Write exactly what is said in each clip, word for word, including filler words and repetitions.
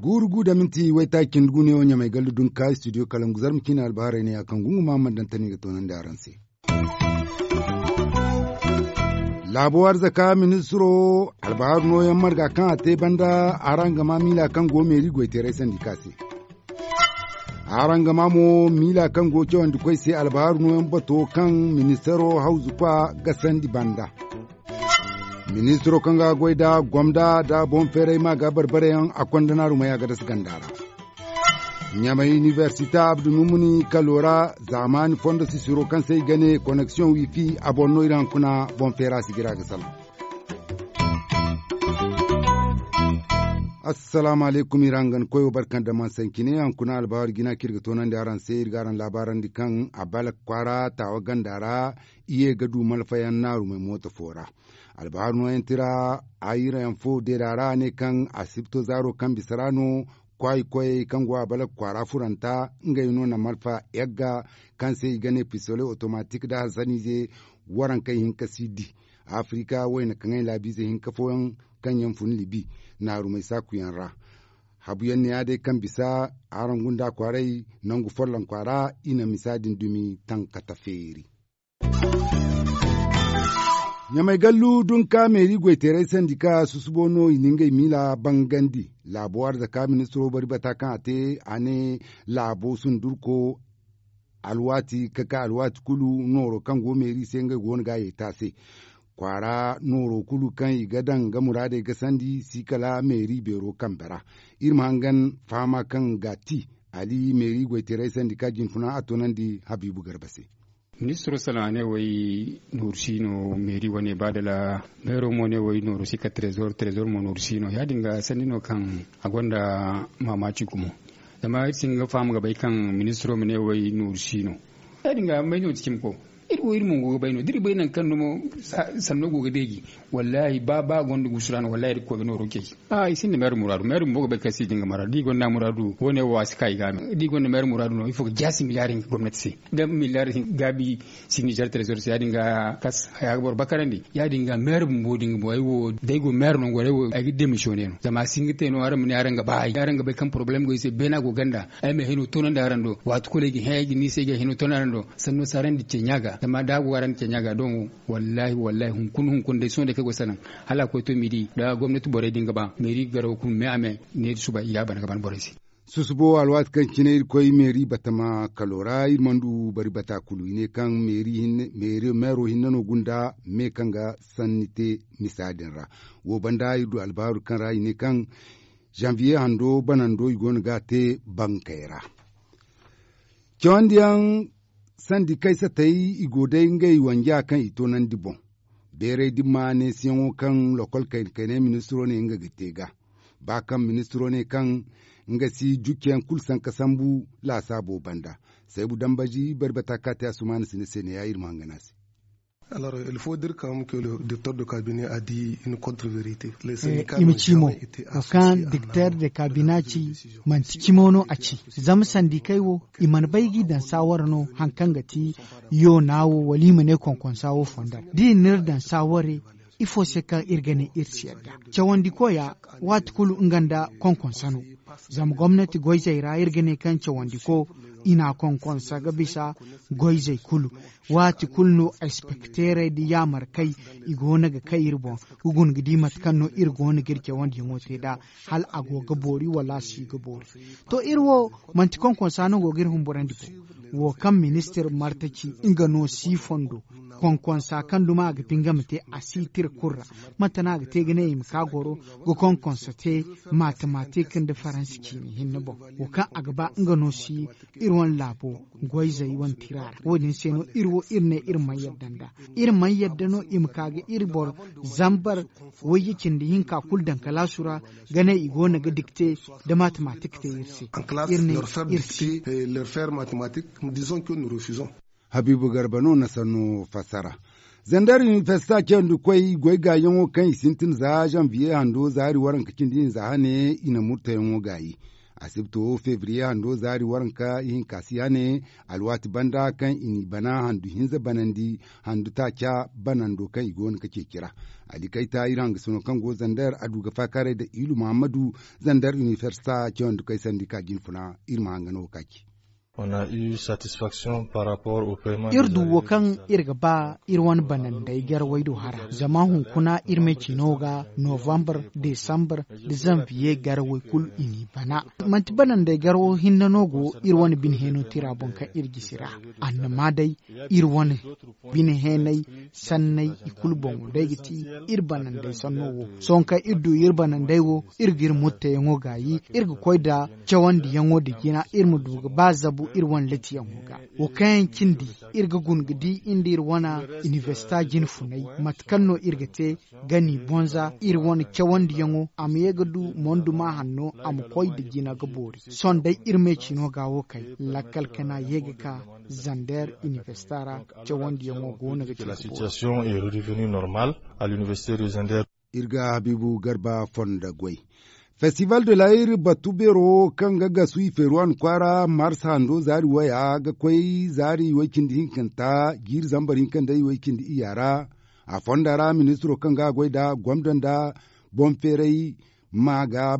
Guuru gu da minti waytaaci cindi gu ne wo ɲamay gallu dunka studio kalangu zarma ciine albaharay ne ya kaŋ gungu ma mana daŋ tani ga toonandi araŋ se. Laabo arzaka ministiro albaharu nooyaŋ marga kaŋ a te banda araŋ ga ma miila kaŋ go meeri goyteeray sandika se. Araŋ ga ma mo miila kaŋ go cawandi koy se albaharu nooyaŋ bato kaŋ ministiro hawzu kwa ga sandi banda. Ministiro kaŋ ga goy da gomda da boŋ feeray ma ga barbarayaŋ a konda naarumay a ga dasa ganda ra. Ɲamay inibersita abdu numuni kalo ra zaamaani fondo sisiro kaŋ se i ga ne koneksiyoŋ wifi a boŋ no iri hankuna boŋ feera sigira ga salaŋ. Assalaamu alaykum iri hangan koyo barkan da man sankine hankuna albaharu jina kaŋ iri ga toonandi araŋ se iri ga araŋ laabaarandi kaŋ a balak kwaara taawa ganda ra. Iye ga du malfayaŋ naarumay mooto fo ra. Albaharu nooyaŋ tira ayirayaŋ fo deeda ra ne kaŋ asibto zaaro kaŋ bisa ra no kwaayi koyey kaŋ go a balak kwaara furanta ngey no na malfa yagga kaŋ se i ga ne pisole otomatik da harsaniize warankey hinka si di. Afirika wayna kaŋ ay laabiize hinka fooyaŋ kaŋ yaŋ fun libi naarumey saakuyaŋ ra. Habuyaŋ ne ya day kaŋ bisa araŋ gunda kwaaray nangu folloŋ kwaara i na misa din dumi tankata feeri. Ɲamay gallu dunka meeri goyteeray sandi ka susubo no i na ngey miila bangandi. Laabo arzaka ministiro bari bata kaŋ a te a ne laabo sundurko alwaati ka ka alwaati kulu nooro kaŋ go meeri se ngey go no ga a yay taase. Kwaara nooro kulu kaŋ i ga daŋ ga muraadey ga sandi si kala meeri beero kambe ra. Iri ma hangan fahama kaŋ ga ti ali meeri goyteeray sandi ka jinfuna a toonandi habiibu garba se. Ministiro salaŋ a ne way nooru si no meeri wane ba dala meero mo ne way nooru si ka trezor trezor mo nooru si no ya- din ga sanni no kaŋ a gonda maamaaci gumo. Zama iri si hin ga faham ga bay kaŋ ministiro ma ne way nooru si no. Ya- din ga may no ti cimi ko iri wo iri mo go ga bay no da iri bay nangu kaŋ no mo sanno go ga deeji. Wallaahi ba ba gonda gusu ra no wallaahi iri ga koy ga nooro ceeci. A i sinda meero muraadu meero bumbo ga bay kaŋ si din ga mara da i gonda muraadu wo- ne wo a si ka i ga a me da i gonda meero muraadu no ifo ga jaasi miliyaari hinka gomnati se. Da miliyaari gaabi si nizer trezor se ya- din ga kas haya ga boro bakarandi ya- din ga meero bumbo din ga bo ay wo da ay go meero nango ra ay wo ay ga demisiyone no zama a si hin ga te no araŋ ma ne araŋ ga ba ay araŋ ga bay kaŋ porobalem go ay se beena go ganda. Ay ma hino toonandi araŋ do waati kulu ay ga hẽ ay ga ni se ay ga hino toonandi araŋ do sanno si araŋ di ceeɲa ga zama da a go araŋ di ceeɲa ga doŋ. Wallaahi wallaahi hunkuna hunkuna day sohõ day kaŋ ay go ga sanaŋ hala a koy to midi da gomnati borey din ga ba meeri garawo kulu me a me. Ne da suba i ga a bana ga bana borey se. Susubo alwaati kaŋ cine iri koy meeri batama kalo ra iri mana du bari bata kulu i ne kaŋ meero hinne no gunda me kaŋ ga sanni te misa din ra. Wo banda iri du albaaru kaŋ ra i ne kaŋ zanviye hando banando i go no ga a te bankey ra. Cawandiyaŋ sandi kaysatey i go day ngey wanja kaŋ i toonandi boŋ. Beeray dimma neesiyaŋo kaŋ lokol kayna kaynay ministiro ne nga ga te ga ba kaŋ ministiro ne kaŋ nga si jucceyaŋ kulu sanka sambu laasaabo banda. Saybu dambaji bari bata ka te asumaana sine se ne ya iri ma hangan a se. Alors il faut dire quand même que le directeur de cabinet a dit une contre vérité. I ma ci mo wo kaŋ dikter de kabina ci manti cimo no a ci. Zama sandikey wo i mana bay ga i daŋ saawara no haŋ kaŋ ga ti yoona wo wala i ma ne konkonsa wo fondar da i n'iri daŋ saaware. Ifo se kaŋ iri ga ne iri si yadda cawandi koya waati kulu nga nda konkonsa no. Zama gomnati goyzey ra iri ga ne kaŋ cawandi ko i n'a konkonsa ga bisa goyzey kulu. Waati kulu no espekteerey da yaamarkey i go no ga kay iri boŋ ga guna ga di mate kaŋ no iri go no ga iri cawandiyaŋo te nd'a. Hala a go ga boori wala a si ga boori. To iri wo manti konkonsa no go ga iri humburandi boŋ wo kaŋ ministir marta ci nga no si fondo. Konkonsa kaŋ duma a ga bi nga ma te a si tira kulu ra. Mate no a ga te ga ne i ma ka goro ga konkonsa te matematik nda faransi ciine hinne boŋ wo kaŋ a ga ba nga no si iri wane laabo goyzey wane tira ra wo- din se no iri wo iri ne iri mana yadda nd'a. Iri mana yadda no i ma ka ga iri boro zambar wayye cindi hinka kulu daŋ kalaasu ra ga ne i go no ga dikte nda matematik te iri se. Iri ne iri si. Habiibu garba no na sanno fassara. Zandar inibersita cawandi koy goy gaayaŋo kaŋ i sintin za zanviye hando zaari waranka cindi hinza hane i na murtayaŋo gaayi. Asibto febriye hando zaari waranka ihinka si hane, alwaati banda kaŋ i n'i bana handu hinza banandi, handu taaca banando kaŋ i go no ga ceeci ra. Ali kayta iri hangasino kaŋ go zander a du ga faakaaray nda ilu muhammadu, zander inifersita cawandi kaŋ ay sandi ka jinfuna. Iri ma hanga no ga kaaci. Iri du wo kaŋ iri ga ba iri wane banandey garawey do hara zama hunkuna iri me ciino ga novambar, desambar, da zanviye garawey kulu i n'i bana. Manti banandey garawo hinne no go iri wane bine heeno tira boŋ kaŋ iri gisi ra. Annama day, iri wane bine heenay sanney i kulu boŋo day ga ti iri banandey sanno wo. Sohõ kaŋ iri du iri banandey wo, iri ga iri mutteyaŋo gaayi, iri ga koy nda cawandiyaŋo nda jina iri ma du ga ba zabu iri wane latiyaŋo ga. Wo kaŋ yaŋ cindi, iri ga guna ga di nda iri wane inibersita jine funay mate kaŋ no iri ga te ga n'i bonza iri wane cawandiyaŋo a ma ye ga du monduma hanno a ma koy nda jina ga boori. Sohõ day iri me ciino ga wo kay, lakkal kana ye ga ka zander inibersita ra, cawandiyaŋo go no ga te ga boori. Iri ga habiibu garba fondo goy. Festival de la iri batu beero kaŋ ga gasu i feeru wane kwaara mars hando zaari waya ga koy zaari way-cindi hinkanta jiiri zambar hinka nda way-cindi iyya ra. A fonda ra ministiro kaŋ ga a goy nda gomdo nda boŋ feeray ma ga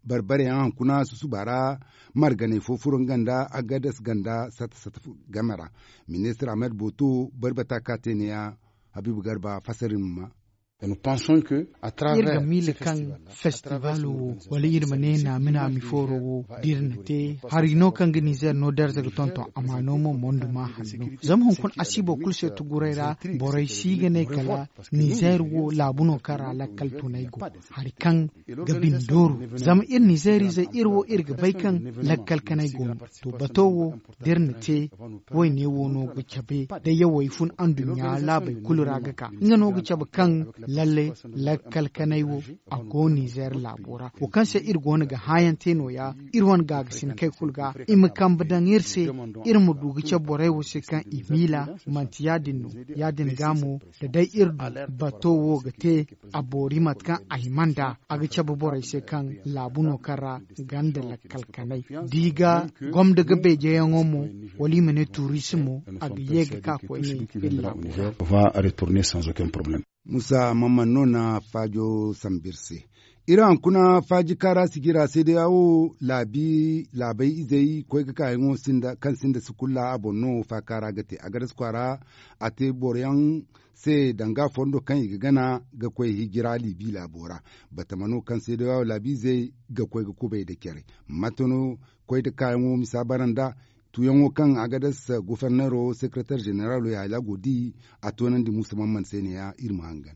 barbare yaŋ hunkuna susuba ra. Marganay fo furo nga nda agadas ganda sata sata game ra. Ministir ahmed boto barbata ka te ne- ya. Habiibu garba fasarin ma. Iri ga miila kaŋ festibalo wo wala iri ma ne naami naami fooro wo da iri na te hari no kaŋ ga nizer no darza ga tonton a ma no mo mondo ma hanno. Zama hunkuna asiibo kulu se tuguray ra borey si ga ne kala nizer wo laabu no kaŋ ra lakkal tunay go. Hari kaŋ ga bindooru zama iri nizer izey iri wo iri ga bay kaŋ lakkal kanay go no. To bato wo da iri na te wayne wo no ga cabe da yawey fun anduɲɲa laabey kulu ra ga ka nga no ga cabe kaŋ lalle lakkal kanay wo a go nizer laabo ra wo kaŋ se iri go no ga hãayaŋ te no- ya. Iri wane gaagasin kay kulu ga i ma kambe daŋ iri se iri ma du ga cabe borey wo se kaŋ i miila manti ya- din no. Ya- din ga mo da day iri du bato wo ga te a boori mate kaŋ a hima nd'a a ga cabe borey se kaŋ laabu no kaŋ ra ganda lakkal kanay da i ga gomda ga beejeyaŋo mo wala i ma ne turisimo a ga ye ga ka koyne iri laabu ra. Musa mamman no na faajo sambu iri se. Iri hankuna faaji kaara sijira se day a wo laabi laabey izey koy ga kaayaŋo kaŋ sinda sukulla a boŋ no faaka ra ga te a ga dasu kwaara. A te boro yaŋ se danga fondo kaŋ i ga gana ga koy hijira liibi laabo ra. Batama no kaŋ se day a wo laabi izey ga koy ga kubay nda care. Mate no koy nda kaayaŋo misa bara nd'a tuuyaŋo kaŋ a ga dasa goforneero sekeretar ženeralo yaala go di. A toonandi muusa mamman se ne- ya iri ma hangan.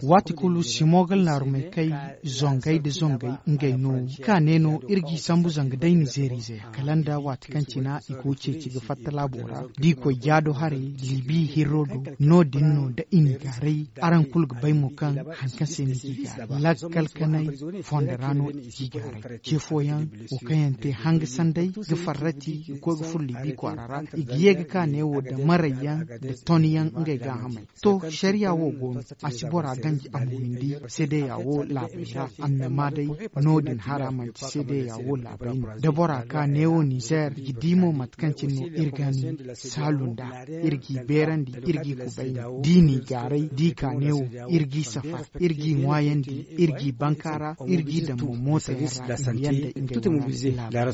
Waati kulu simo ga laarumay kay zongay nda zongay ngey no ka ne no iri g'i sambu zanga day nizeeriize kala nda waati kaŋ cina i go ceeci ga fatta laabo ra da i koy jaado haray liibi hirro do. No- din no da i n'i gaaray araŋ kulu ga bay mo kaŋ hari kaŋ se ni g'i gaaray lakkal kanay fondo ra no i g'i gaaray ce fooyaŋ wo kaŋ yaŋ te hanga sanday ga farrati ga koy ga furo liibi kwaara ra i ga ye ga ka neewo nda marayyaŋ nda tonyaŋ ngey gaahamey. To sariya wo go no a si bora ganji a ma windi seedeya wo laabey ra annama day. No- din hara manti seedeya wo laabey no da bora ka neewo nizer ga di mo mate kaŋ cine no iri ga ni saalu nd'a iri g'i beerandi iri g'i kubayni da i n'i gaaray da i ka neewo iri g'i safar iri g'i ŋwaayandi iri g'i bankaara iri g'i daŋ mo mootayaŋ ra i ma yanda ngey wane laabey ra.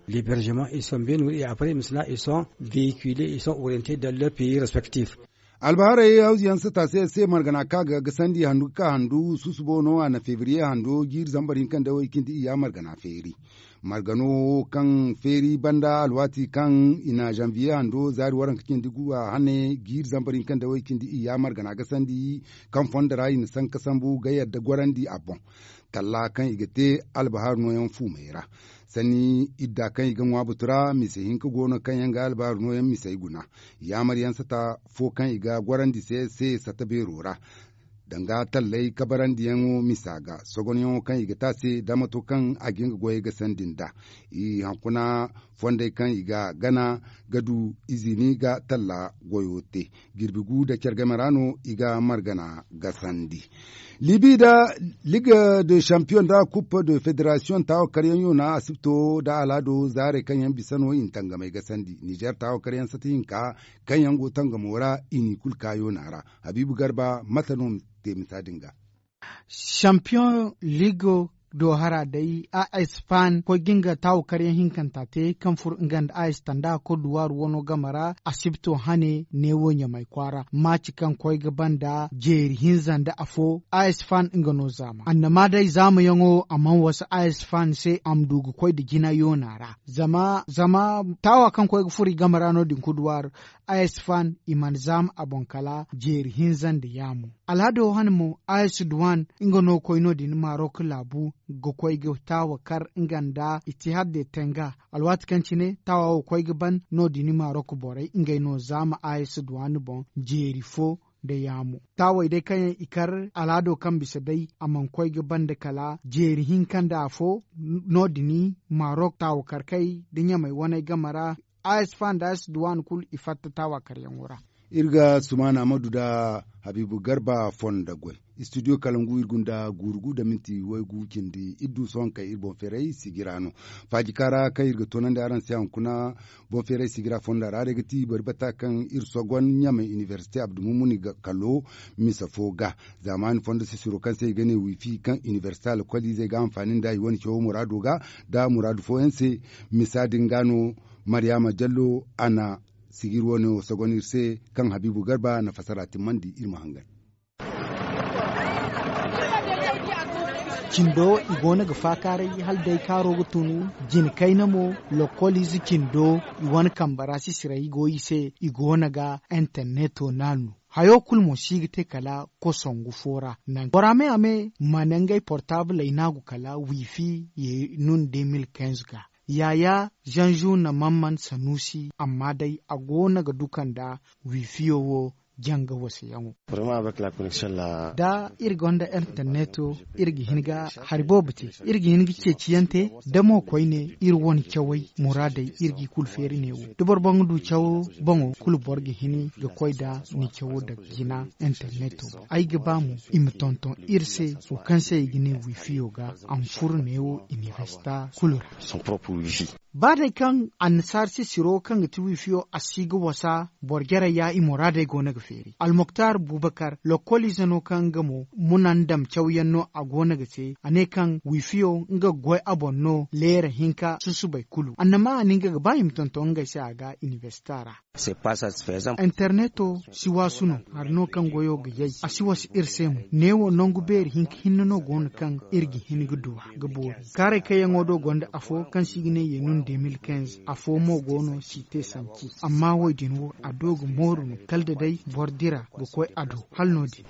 L'hébergement ils sont bien nourris et après maintenant ils sont véhiculés ils sont orientés dans leur pays respectif. Albaharay hawzu yaŋ sata se se margana kaŋ a ga gasandi handu ga ka handu susubo no a na febriye hando jiiri zambar hinka nda way cindi iyya margana feeri. Margano wo kaŋ feeri banda alwaati kaŋ i na zanviye hando zaari waranka cindi gu a hane jiiri zambar hinka nda way cindi iyya margana gasandi kaŋ fondo ra i na sanka sambu ga yadda gorandi a boŋ. Talla kaŋ i ga te albahar nooyaŋ fuumey ra sanni idda kaŋ i ga ŋwa butu ra mise hinka go no kaŋ yaŋ ga albahar nooyaŋ misey guna. Yaamar yaŋ sata fo kaŋ i ga gorandi se se sata beero ra. danga talley kabarandiyaŋo misa ga sogonyaŋo kaŋ i ga te a se damato kaŋ a ga nga goyey ga sandi nd'a. I hankuna fondey kaŋ i ga gana ga du izini ga talla goyo te. Jirbi gu da care game ra no i ga margana ga sandi. Libi da ligue de champion da coupe de federation taawo karyaŋ yoona asibto da alado zaarey kaŋ yaŋ bisa no i na tangamey ga sandi nizer taawo karyaŋ sata hinka kaŋ yaŋ go tangamo ra i n'i kulu ka yoona ra. Habiibu garba mate no ma te misa din ga. Champion ligo do hara day a espan koy ga nga taawo karyaŋ hinkanta te kaŋ furo nga nda a estanda koduwar wano game ra asibto hane neewo ɲamay kwaara maaci kaŋ koy ga banda jeeri hinza nda afo a espan nga no zaama annama day zaamayaŋo a mana wasa a espan se a ma du ga koy nda jina yoona ra. Zama zama taawa kaŋ koy ga furo i game ra no- din koduwar a espan i mana zaama a boŋ kala jeeri hinza nda yaamo. Alhado hane mo a esduwan nga no koy no- din marok laabu ga koy ga taawa kar nga nda itihad de tenga. Alwaati kaŋ cine taawa wo koy ga ban no- din marok borey ngey no zaama a esduwan boŋ jeeri fo nda yaamo. Taawey day kaŋ yaŋ i kar alhado kaŋ bisa day a mana koy ga banda kala jeeri hinka nda afo no- din marok taawa karkey nda ɲamey waney game ra a espan da a esduwan kulu i fatta taawa karyaŋo ra. Iri ga sumaana amadu nda habiibu garba fondo goy. Istudiyo kalangu iri gunda guuru gu nda minti waygu cindi iri du sohõ kay iri boŋ feeray sijira no. Faaji kaara kaŋ iri ga toonandi araŋ se hunkuna boŋ feeray sijira fonda ra day ga ti bari bata kaŋ iri sogon ɲamay inibersite abdulmumuni kalo misa fo ga. Zaamaani fondo sisiro kaŋ se i ga ne wiifi kaŋ inibersite alkoliizey ga hanfaani nda i wane cawo muraado ga nda muraadu fooyaŋ se. Misa din ga no maryaama jallo a na sijir wane wo sogon iri se kaŋ habiibu garba na fasara timmandi iri ma hangan. Cindo i goono ga faakaaray hala day kaaro ga tun jina kayna mo. Lokkoliize cindo i wane kambe ra sisiray go i se i goono ga interneto naanu. Hayo kulu mo si ga te kala kosongu fo ra naŋ bora me a me mana ngey portabley naagu kala wiifi ye nun de mil kinze ga. Yaya zanzu na mamman sanusi amma day a goono ga duka nda wiifiyo wo janga wasayaŋo. Da iri gonda interneto iri ga hin ga hari boobo te. Iri ga hin ga ceeciyaŋ te da mo koyne iri wane cawey muraadey iri g'i kulu feeri neewo da boro boŋ ga du cawo boŋo kulu boro ga hin ga koy nda ni cawo daŋ jina interneto. Ay ga ba mo i ma tonton iri se wo kaŋ se i ga ne wiifiyo ga a ma furo neewo inibersita kulu ra. Ba day kaŋ annasaara sisiro kaŋ ga ti wiifiyo a si ga wasa boro jarey ya i muraadey go no ga feeri almoktar bubakar lokkoliize no kaŋ nga mo muna ndam cawyaŋ no a go no ga te a ne kaŋ wiifiyo nga ga goy a boŋ no leera hinka susubay kulu annama a na nga ga ba i ma tonton ngey se a ga inibersita ra. Interneto si waasu no hari no kaŋ goyo ga yay a si wasa iri se mo neewo nangu beeri hinka hinne no go no kaŋ iri ga hin ga du a ga boori. Kaaray kayyaŋo do gonda afo kaŋ se i ga ne ye nun de mil kinze afo mo go no si te sanci amma wo- din wo a do ga mooru no kala da day boro dira ga koy a do hala no- din.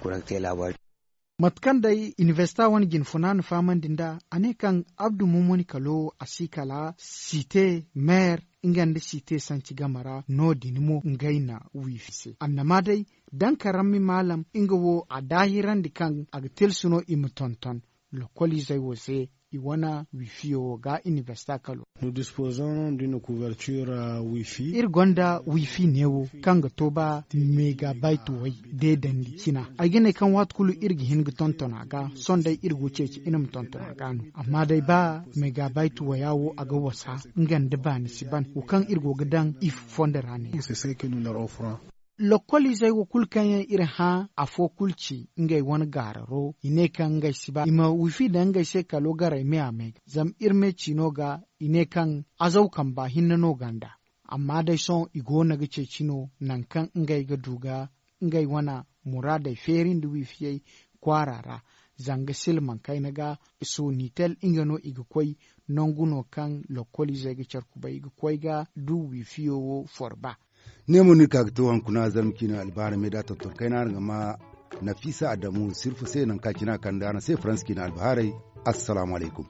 Mate kaŋ day inibersita wane jine funa na fahamandi nd'a a ne kaŋ abdu mumuni kalo a si kala site meer nga nda site sanci game ra no- din mo ngey na wiifi se annama day daŋ karammi maalam nga wo a daahirandi kaŋ a ga tilsu no i ma tonton lokkoliizey wo se i wane wiifiyo wo ga inibersita kalo. Iri gonda wiifi neewo kaŋ ga to ba megabayt way deedandi cina ay ga ne kaŋ waati kulu iri ga hin ga tonton a ga sohõ day iri go ceeci iri ma tonton a ga no amma day ba megabayt waya wo a ga wasa nga nda baani si ban wo kaŋ iri go ga daŋ i fondo ra ne. Lokkoliizey wo kulu kaŋ yaŋ iri hã afo kulu ci ngey wane gaararo i ne kaŋ ngey si ba i ma wiifi daŋ ngey se kalo garay me a me ga zama iri me ciino ga i ne kaŋ azaw kamba hinne no ganda. Amma day sohõ i goono ga ceeci no nangu kaŋ ngey ga du ga ngey wane muraadey feeri nda wiifiyey kwaara ra. Zanga silmaŋ kayna ga sonitel nga no i ga koy nangu no kaŋ lokkoliizey ga care kubay i ga koy ga du wiifiyo wo forba. Ne mo no iri ka ga to hunkuna zarma ciina albahaarey me da tonton kayna araŋ ga ma nafiisa adamu sirfu se nangu kaŋ a cina kande araŋ se faransa ciina albahaarey. Assalaamu alaykum.